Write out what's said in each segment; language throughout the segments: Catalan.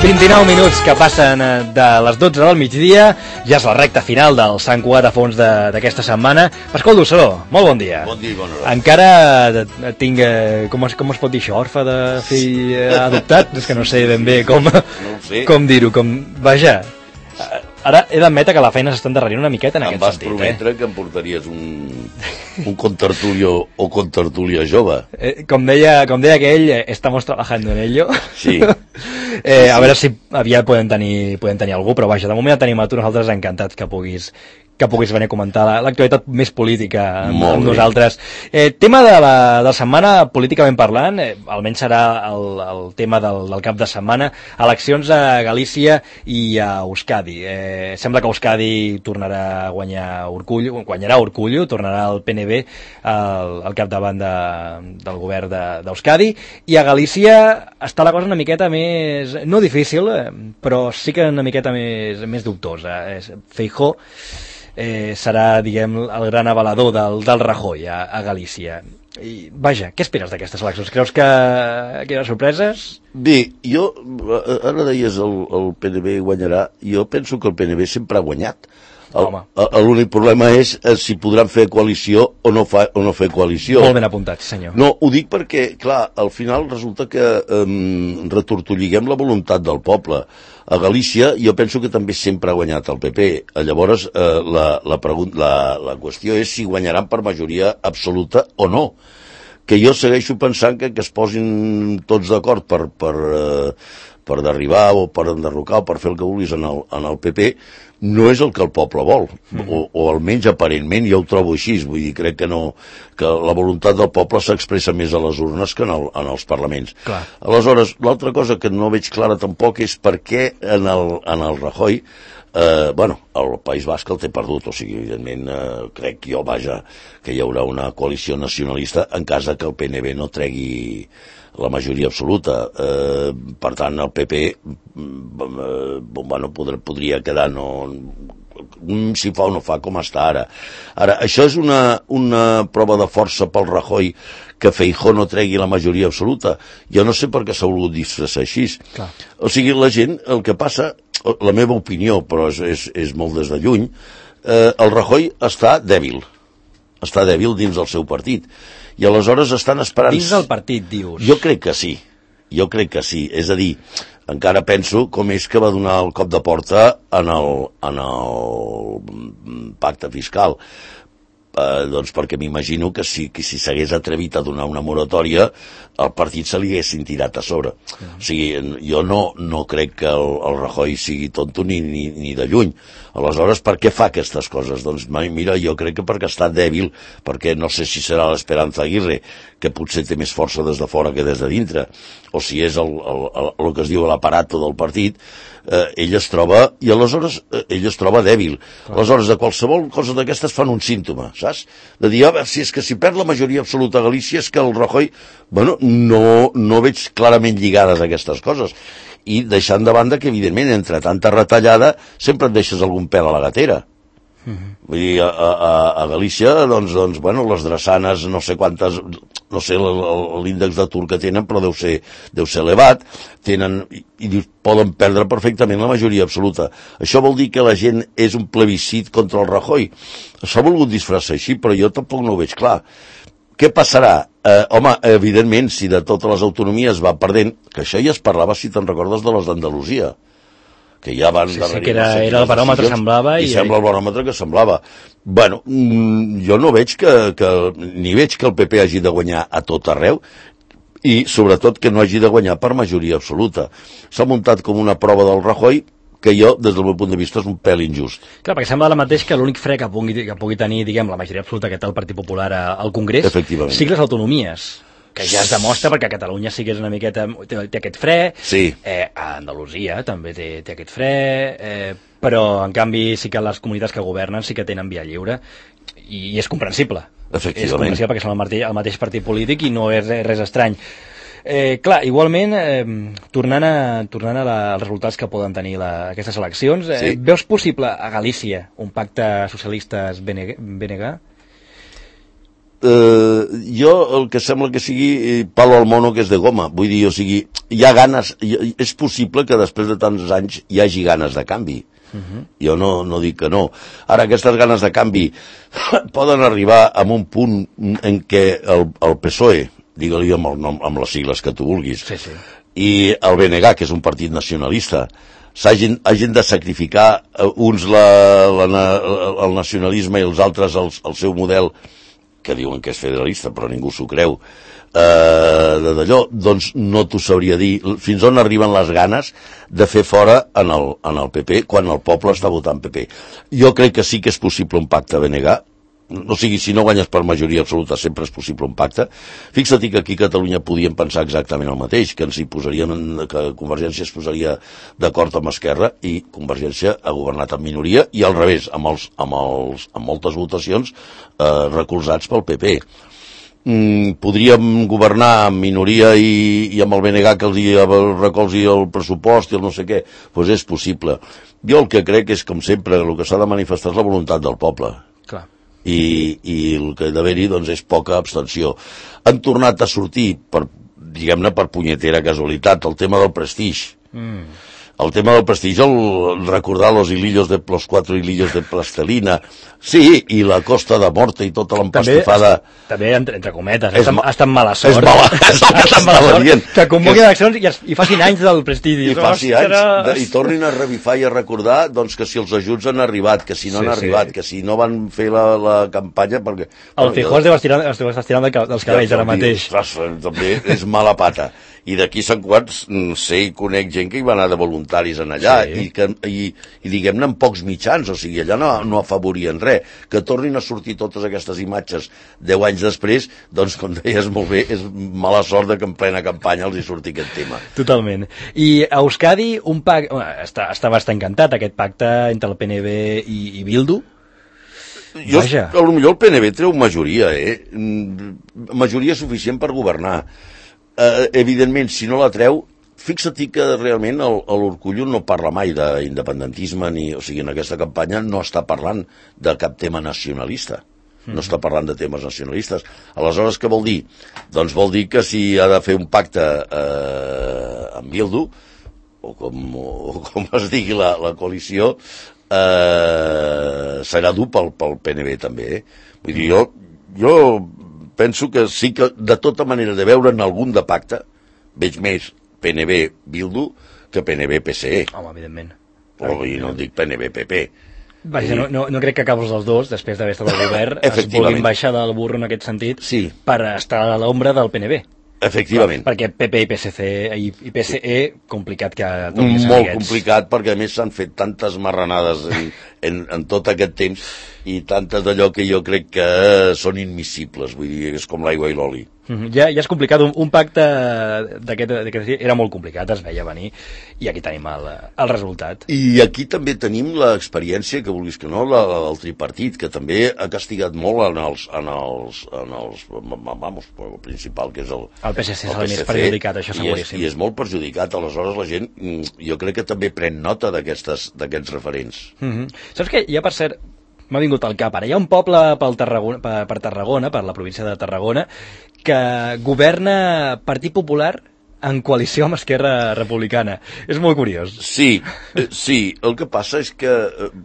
29 minuts que passen de les 12 del migdia, ja és la recta final del Sant Cugat a fons d'aquesta setmana. Pasqual Dussó, molt bon dia. Bon dia i bona hora. Encara tinc, com es pot dir això, orfe de fill adoptat? És que no sé ben bé com dir-ho, vaja. Ara he d'admetre que la feina s'està endarrerint una miqueta en aquest sentit. Em vas prometre que em portaries un contertulio o contertulia jove. Com deia aquell, estamos trabajando en ello. Sí. A veure si aviat podem tenir algú, però vaja, de moment ja tenim a tu, nosaltres encantats que puguis venir a comentar l'actualitat més política amb nosaltres. Tema de la setmana, políticament parlant, almenys serà el tema del cap de setmana, eleccions a Galícia i a Euskadi. Sembla que Euskadi tornarà a guanyarà Urkullu, tornarà el PNB al capdavant del govern d'Euskadi, i a Galícia està la cosa una miqueta més, no difícil, però sí que una miqueta més dubtosa. Feijóo serà, diguem, el gran avalador del Rajoy a Galícia. I, vaja, què esperes d'aquestes eleccions? Creus que hi haurà sorpreses? Bé, jo, ara deies el PNB guanyarà, jo penso que el PNB sempre ha guanyat. L'únic problema és si podran fer coalició o no fer coalició. Molt ben apuntat, senyor. No, ho dic perquè, clar, al final resulta que retortolliguem la voluntat del poble. A Galícia jo penso que també sempre ha guanyat el PP. Llavors la qüestió és si guanyaran per majoria absoluta o no. Que jo segueixo pensant que es posin tots d'acord per derribar o per enderrocar o per fer el que vulguis en el PP, no és el que el poble vol, o almenys aparentment jo ho trobo així. Vull dir, crec que la voluntat del poble s'expressa més a les urnes que en els parlaments. Clar. Aleshores, l'altra cosa que no veig clara tampoc és per què en el Rajoy, el País Basc el té perdut, o sigui, evidentment crec jo, que hi haurà una coalició nacionalista en cas que el PNB no tregui la majoria absoluta. Per tant, el PP podria quedar si fa o no fa com està ara. Ara, això és una prova de força pel Rajoy que Feijóo no tregui la majoria absoluta. Jo no sé per què s'ha volgut disfressar així. Clar. O sigui, la gent, el que passa, la meva opinió, però és molt des de lluny, el Rajoy està dèbil dins del seu partit. I aleshores estan esperant... Dins del partit, dius? Jo crec que sí. És a dir, encara penso com és que va donar el cop de porta en el pacte fiscal. Doncs perquè m'imagino que si s'hagués atrevit a donar una moratòria, el partit se li haguessin tirat a sobre. O sigui, jo no crec que el Rajoy sigui tonto ni de lluny. Aleshores, per què fa aquestes coses? Doncs mira, jo crec que perquè està dèbil, perquè no sé si serà l'Esperanza Aguirre, que potser té més força des de fora que des de dintre, o si és el que es diu l'aparato del partit, ell es troba dèbil. Aleshores, de qualsevol cosa d'aquestes fan un símptoma, saps? De dir, si perd la majoria absoluta a Galícia és que el Rajoy, no veig clarament lligades aquestes coses. I deixant de banda que, evidentment, entre tanta retallada sempre et deixes algun pèl a la gatera. Vull dir, a Galícia, doncs, les drassanes, no sé quantes, no sé l'índex d'atur que tenen, però deu ser elevat, i poden perdre perfectament la majoria absoluta. Això vol dir que la gent és un plebiscit contra el Rajoy. S'ha volgut disfressar així, però jo tampoc no ho veig clar. Què passarà? Evidentment, si de totes les autonomies va perdent, que això ja es parlava, si te'n recordes, de les d'Andalusia, que ja van darrere... Sí, que era el baròmetre, semblava... I sembla el baròmetre que semblava. Jo no veig ni veig que el PP hagi de guanyar a tot arreu, i sobretot que no hagi de guanyar per majoria absoluta. S'ha muntat com una prova del Rajoy, que jo, des del meu punt de vista, és un pèl injust. Clar, perquè sembla ara mateix que l'únic fre que pugui tenir, diguem, la majoria absoluta que té el Partit Popular al Congrés, sí les autonomies, que ja es demostra perquè a Catalunya sí que és una miqueta... té aquest fre, sí. A Andalusia també té aquest fre, però en canvi sí que les comunitats que governen sí que tenen via lliure, i és comprensible. Efectivament. És comprensible perquè són el mateix partit polític i no és res estrany. Clar, igualment, tornant als resultats que poden tenir aquestes eleccions, sí. Veus possible a Galícia un pacte socialistes-BNG? jo el que sembla que sigui palo al mono que és de goma, vull dir, o sigui, hi ha ganes, és possible que després de tants anys hi hagi ganes de canvi. Jo no dic que no. Ara, aquestes ganes de canvi poden arribar a un punt en què el PSOE, digue-li amb les sigles que tu vulguis, i el BNG, que és un partit nacionalista, hagin de sacrificar uns el nacionalisme i els altres el seu model, que diuen que és federalista, però ningú s'ho creu, d'allò, doncs no t'ho sabria dir fins on arriben les ganes de fer fora en el PP quan el poble està votant PP. Jo crec que sí que és possible un pacte BNG, o sigui, si no guanyes per majoria absoluta sempre és possible un pacte. Fixa't que aquí a Catalunya podíem pensar exactament el mateix, que que Convergència es posaria d'acord amb Esquerra i Convergència ha governat en minoria, i al revés, amb moltes votacions recolzats pel PP. Podríem governar amb minoria i amb el BNG que els recolzi el pressupost i el no sé què, doncs és possible. Jo el que crec és, com sempre, el que s'ha de manifestar és la voluntat del poble. Clar. I el que ha d'haver-hi doncs, és poca abstenció. Han tornat a sortir, diguem-ne per punyetera casualitat, el tema del prestigi. El tema del prestigi, recordar los 4 hilillos de plastelina, sí, i la Costa de Morte i tota l'empastifada... També, entre cometes, ha estat mala sort. És mala, és el que t'estava dient. Que convoquin eleccions i facin anys del prestigi. I faci anys, i tornin a revifar i a recordar doncs, que si els ajuts han arribat, que si no han arribat, que si no van fer la campanya... perquè el Feijóo es deu estar estirant dels cabells ara mateix. També és mala pata. I d'aquí Sant Quants sé i conec gent que hi va anar de voluntaris en allà, i diguem-ne amb pocs mitjans, o sigui, allà no afavorien res. Que tornin a sortir totes aquestes imatges 10 anys després, doncs, com deies molt bé, és mala sort que en plena campanya els hi surti aquest tema. Totalment. I a Euskadi un pacte... Està bastant encantat aquest pacte entre el PNB i Bildu. Potser el PNB treu majoria, majoria suficient per governar. Evidentment, si no la treu, fixa't que realment l'Urkullu no parla mai d'independentisme, o sigui, en aquesta campanya no està parlant de cap tema nacionalista, no està parlant de temes nacionalistes. Aleshores, què vol dir? Doncs vol dir que si ha de fer un pacte amb Bildu, o com es digui la coalició, serà dur pel PNB també. Vull dir, jo penso que sí que de tota manera de veure en algun de pacte veig més PNB-Bildu que PNB-PSE. Home, evidentment. Però no dic PNB-PP. Vaja, no crec que caps els dos, després d'haver estat al govern, es vulguin baixar del burro en aquest sentit per estar a l'ombra del PNB. Efectivament. Perquè PP i PSE, complicat que... Molt complicat, perquè a més s'han fet tantes marranades en tot aquest temps i tantes d'allò que jo crec que són immiscibles, vull dir, és com l'aigua i l'oli. Ja és complicat, un pacte d'aquest era molt complicat, es veia venir, i aquí tenim el resultat. I aquí també tenim l'experiència, que vulguis que no, del tripartit, que també ha castigat molt el principal, que és el PSC, és el més perjudicat, això seguríssim. I és molt perjudicat, aleshores la gent, jo crec que també pren nota d'aquests referents. Saps què? Ja, per cert, m'ha vingut al cap ara. Hi ha un poble per Tarragona, per la província de Tarragona, que governa Partit Popular en coalició amb Esquerra Republicana. És molt curiós. Sí, el que passa és que...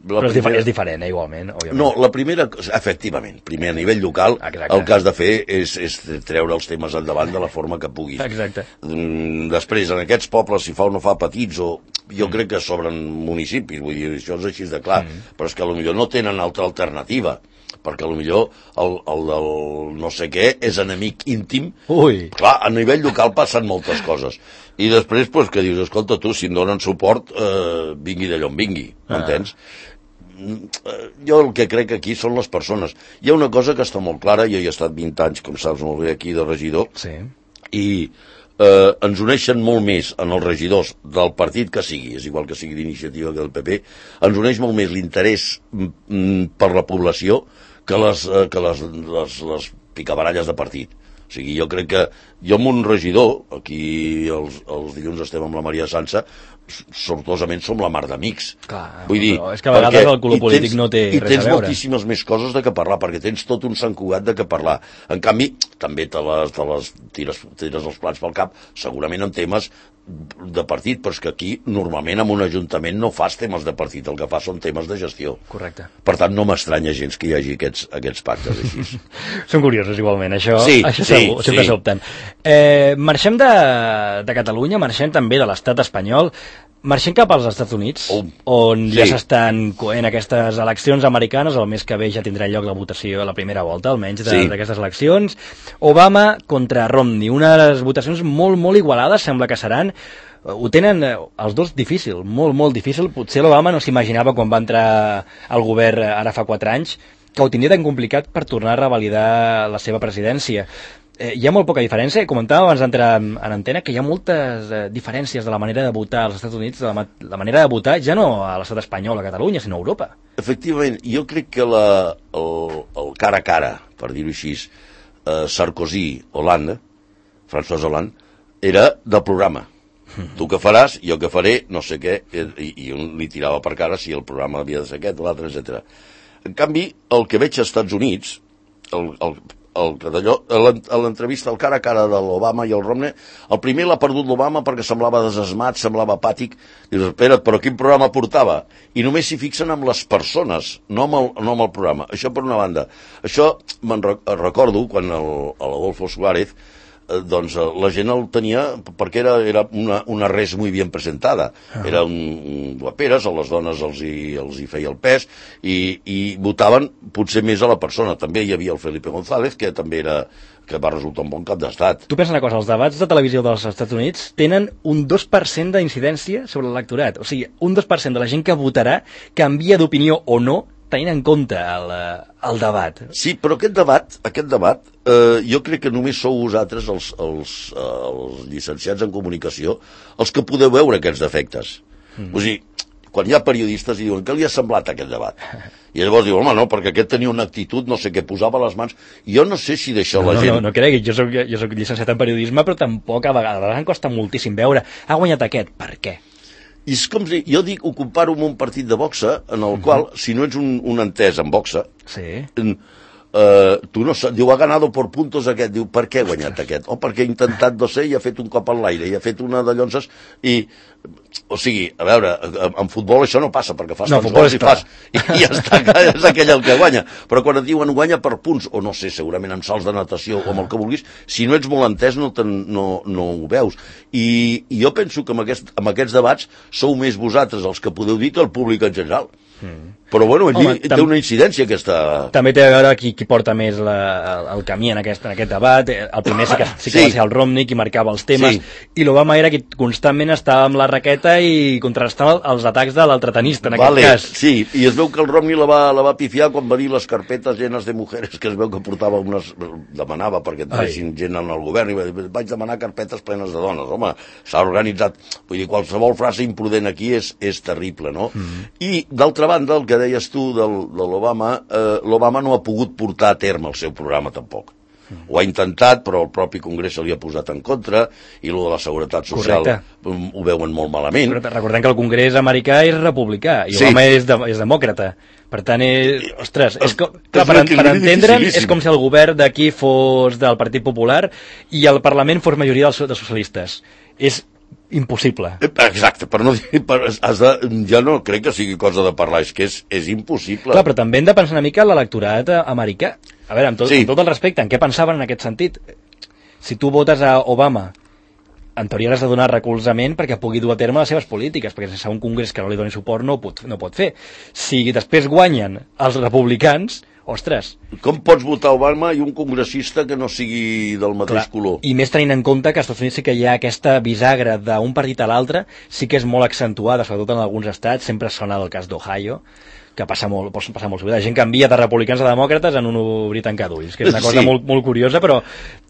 Però és diferent, igualment, òbviament. No, la primera, efectivament, primer a nivell local, el que has de fer és treure els temes endavant de la forma que puguis. Exacte. Després, en aquests pobles, si fa o no fa petits, jo crec que sobren municipis, vull dir, això és així de clar, però és que potser no tenen altra alternativa, perquè potser el del no sé què és enemic íntim. Ui. Clar, a nivell local passen moltes coses. I després, que dius, escolta, tu, si em donen suport, vingui d'allò on vingui, m'entens? Jo el que crec aquí són les persones. Hi ha una cosa que està molt clara, jo hi he estat 20 anys, com saps molt bé, aquí de regidor, i ens uneixen molt més en els regidors del partit que sigui, és igual que sigui d'Iniciativa que del PP, ens uneix molt més l'interès per la població que les picabaralles de partit. O sigui, jo crec que jo amb un regidor, aquí els dilluns estem amb la Maria Sansa, sortosament som la mar d'amics. Vull dir, és que a vegades el color polític no té res a veure. I tens moltíssimes més coses de què parlar, perquè tens tot un Sant Cugat de què parlar. En canvi, també te les tires els plats pel cap, segurament en temes de partit, però és que aquí normalment en un ajuntament no fas temes de partit, el que fas són temes de gestió. Correcte. Per tant, no m'estranya gens que hi hagi aquests pactes així. Són curiosos igualment, això segur, sempre s'opten. Marxem de Catalunya, marxem també de l'estat espanyol, marxem cap als Estats Units, on ja s'estan coent aquestes eleccions americanes, el mes que ve ja tindrà lloc la votació a la primera volta, almenys d'aquestes eleccions. Obama contra Romney, unes votacions molt, molt igualades, sembla que seran. Ho tenen els dos difícil, molt, molt difícil. Potser l'Obama no s'imaginava quan va entrar al govern ara fa 4 anys que ho tindria tan complicat per tornar a revalidar la seva presidència. Hi ha molt poca diferència, comentàvem abans d'entrar en antena que hi ha moltes diferències de la manera de votar als Estats Units, de la manera de votar ja no a l'estat espanyol, a Catalunya, sinó a Europa. Efectivament, jo crec que el cara a cara, per dir-ho així, Sarkozy-Hollande, François Hollande, era del programa. Tu què faràs, jo què faré, no sé què, i un li tirava per cara si el programa havia de ser aquest o l'altre, etc. En canvi, el que veig als Estats Units, a l'entrevista al cara a cara de l'Obama i el Romney, el primer l'ha perdut l'Obama perquè semblava desesmat, semblava apàtic. Dius, espera't, però quin programa portava? I només s'hi fixen amb les persones, no amb el programa. Això per una banda. Això me'n recordo quan l'Adolfo Suárez, doncs la gent el tenia perquè era una res muy bien presentada. Era un guaperes, a les dones els hi feia el pes i votaven potser més a la persona. També hi havia el Felipe González, que també que va resultar un bon cap d'estat. Tu pensa una cosa, els debats de televisió dels Estats Units tenen un 2% d'incidència sobre l'electorat. O sigui, un 2% de la gent que votarà canvia d'opinió o no tenint en compte el debat. Sí, però aquest debat jo crec que només sou vosaltres, els llicenciats en comunicació, els que podeu veure aquests defectes. O sigui, quan hi ha periodistes i diuen què li ha semblat aquest debat? I llavors diuen, home, no, perquè aquest tenia una actitud, no sé què, posava les mans. Jo no sé si d'això la gent... No cregui, jo soc llicenciat en periodisme, però tampoc a vegades em costa moltíssim veure. Ha guanyat aquest, per què? I és com si, jo ho comparo amb un partit de boxa en el qual, si no ets un entès en boxa, tu no saps, diu, ha ganado por puntos aquest, diu, per què ha guanyat aquest? O perquè ha intentat, no sé, i ha fet un cop en l'aire, i ha fet una de llonses, o sigui, a veure, en futbol això no passa, perquè fas tants gols i ja està, és aquell el que guanya. Però quan et diuen guanya per punts, o no sé, segurament en salts de natació o amb el que vulguis, si no ets molt entès no ho veus. I jo penso que amb aquests debats sou més vosaltres els que podeu dir que el públic en general. Però bueno, té una incidència aquesta... També té a veure qui porta més el camí en aquest debat. El primer sí que va ser el Romney, qui marcava els temes, i l'Obama era qui constantment estava amb la raqueta i contrastava els atacs de l'altre tenista, en aquest cas. Sí, i es veu que el Romney la va pifiar quan va dir les carpetes llenes de mujeres, que es veu que portava demanava perquè entressin gent en el govern, i va dir, vaig demanar carpetes plenes de dones. Home, s'ha organitzat. Vull dir, qualsevol frase imprudent aquí és terrible, no? I, d'altra banda, el que deies tu de l'Obama, l'Obama no ha pogut portar a terme el seu programa tampoc. Ho ha intentat, però el propi Congrés se li ha posat en contra, i el de la seguretat social ho veuen molt malament. Però recordem que el Congrés americà és republicà, i Obama és demòcrata. Per tant, ostres, per entendre'n, és com si el govern d'aquí fos del Partit Popular i el Parlament fos majoria de socialistes. És impossible. Exacte, per no dir... Ja no crec que sigui cosa de parlar, és que és impossible. Clar, però també hem de pensar una mica en l'electorat americà. A veure, amb tot el respecte, en què pensaven en aquest sentit? Si tu votes a Obama, en teoria has de donar recolzament perquè pugui dur a terme les seves polítiques, perquè sense un congrés que no li doni suport no pot fer. Si després guanyen els republicans, ostres... Com pots votar Obama i un congressista que no sigui del mateix color? I més tenint en compte que als Estats Units sí que hi ha aquesta bisagra d'un partit a l'altre, sí que és molt accentuada, sobretot en alguns estats, sempre sona el cas d'Ohio, que passa molt sovint. La gent canvia de republicans a demòcrates en un obrir tancar d'ulls, que és una cosa molt, molt curiosa, però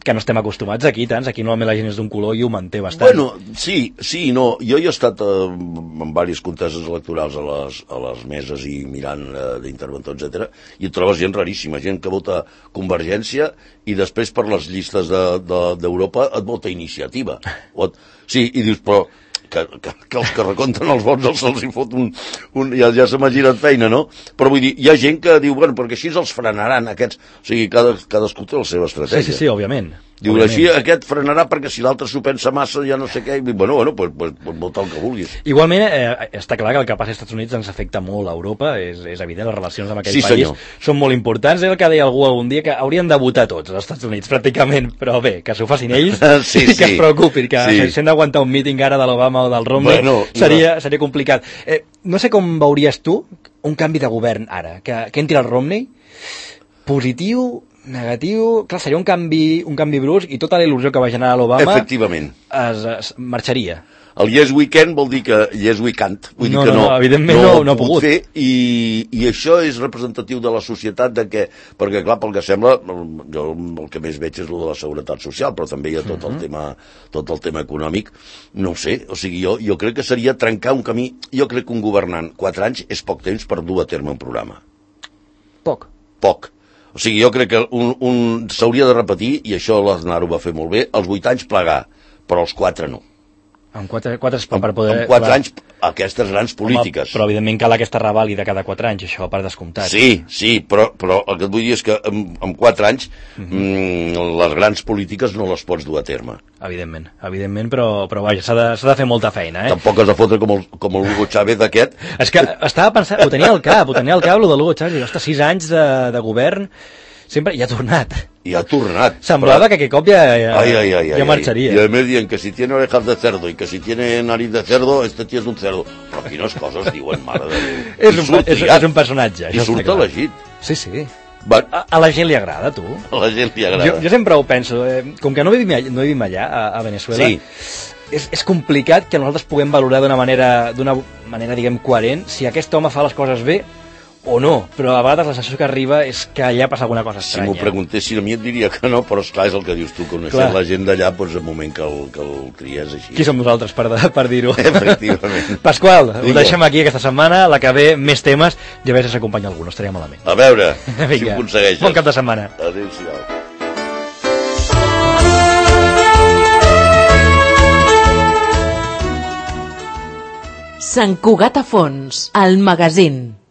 que no estem acostumats aquí, tants. Aquí normalment la gent és d'un color i ho manté bastant. Bueno, sí, no. Jo he estat en diverses conteses electorals a les meses i mirant d'interventor, etc. I et trobes gent raríssima, gent que vota Convergència i després per les llistes d'Europa et vota Iniciativa. Sí, i dius, però que els que recompten els vots se'ls hi fot ja se m'ha girat feina, no? Però vull dir, hi ha gent que diu, bueno, perquè així els frenaran aquests, o sigui, cadascú té la seva estratègia. Sí, òbviament. Diu, així aquest frenarà perquè si l'altre s'ho pensa massa ja no sé què, i bueno, pues vota el que vulguis. Igualment, està clar que el que passa als Estats Units ens afecta molt a Europa, és evident, les relacions amb aquell país són molt importants, és el que deia algú algun dia, que haurien de votar tots als Estats Units, pràcticament, però bé, que s'ho facin ells, i que es preocupin, que si hem d'aguantar un míting ara de l'Obama o del Romney, seria complicat. No sé com veuries tu un canvi de govern ara, que entri el Romney, positiu, negatiu, clar, seria un canvi brusc i tota la il·lusió que va generar l'Obama efectivament es marxaria. El Yes We Can vol dir que Yes We Can't, vull dir que evidentment no ha pogut fer, i això és representatiu de la societat, de que, perquè clar, pel que sembla, jo el que més veig és el de la seguretat social, però també hi ha tot el tema econòmic, no ho sé, o sigui, jo crec que seria trencar un camí. Jo crec que un governant 4 anys és poc temps per dur a terme un programa. Poc. O sigui, jo crec que s'hauria de repetir, i això l'Aznar ho va fer molt bé, els 8 anys plegar, però els 4 no. En 4 per poder... En 4 anys, aquestes grans polítiques. Home, però evidentment cal aquesta revàlida cada 4 anys, això per descomptat. Sí, però el que et vull dir és que en 4 anys les grans polítiques no les pots dur a terme. Evidentment, però vaja, s'ha de fer molta feina, Tampoc has de fotre com el Hugo Chávez aquest. És que estava pensant, ho tenia al cap, lo de l'Hugo Chávez, i ostres, 6 anys de govern, sempre hi ha tornat. Semblava que aquest cop ja marxaria. Y además dicen que si tiene orejas de cerdo y que si tiene nariz de cerdo, este tío es un cerdo. Però quines coses diuen, mare de Déu. És un personatge. I surt elegit. Sí. A la gent li agrada, tu? A la gent li agrada. Jo sempre ho penso. Com que no vivim allà, a Venezuela, és complicat que nosaltres puguem valorar d'una manera, diguem, coherent, si aquest home fa les coses bé o no, però a vegades la sensació que arriba és que allà passa alguna cosa estranya. Si m'ho preguntessin a mi et diria que no, però esclar, és el que dius tu, coneixent la gent d'allà, doncs el moment que el tries així. Qui som nosaltres per dir-ho? Efectivament. Pasqual, ho deixem aquí aquesta setmana, la que ve més temes, i a veure si s'acompanya algú, no estaria malament. A veure, si ho aconsegueixes. Bon cap de setmana. Adéu-siau. Sant Cugat a Fons, el magazín.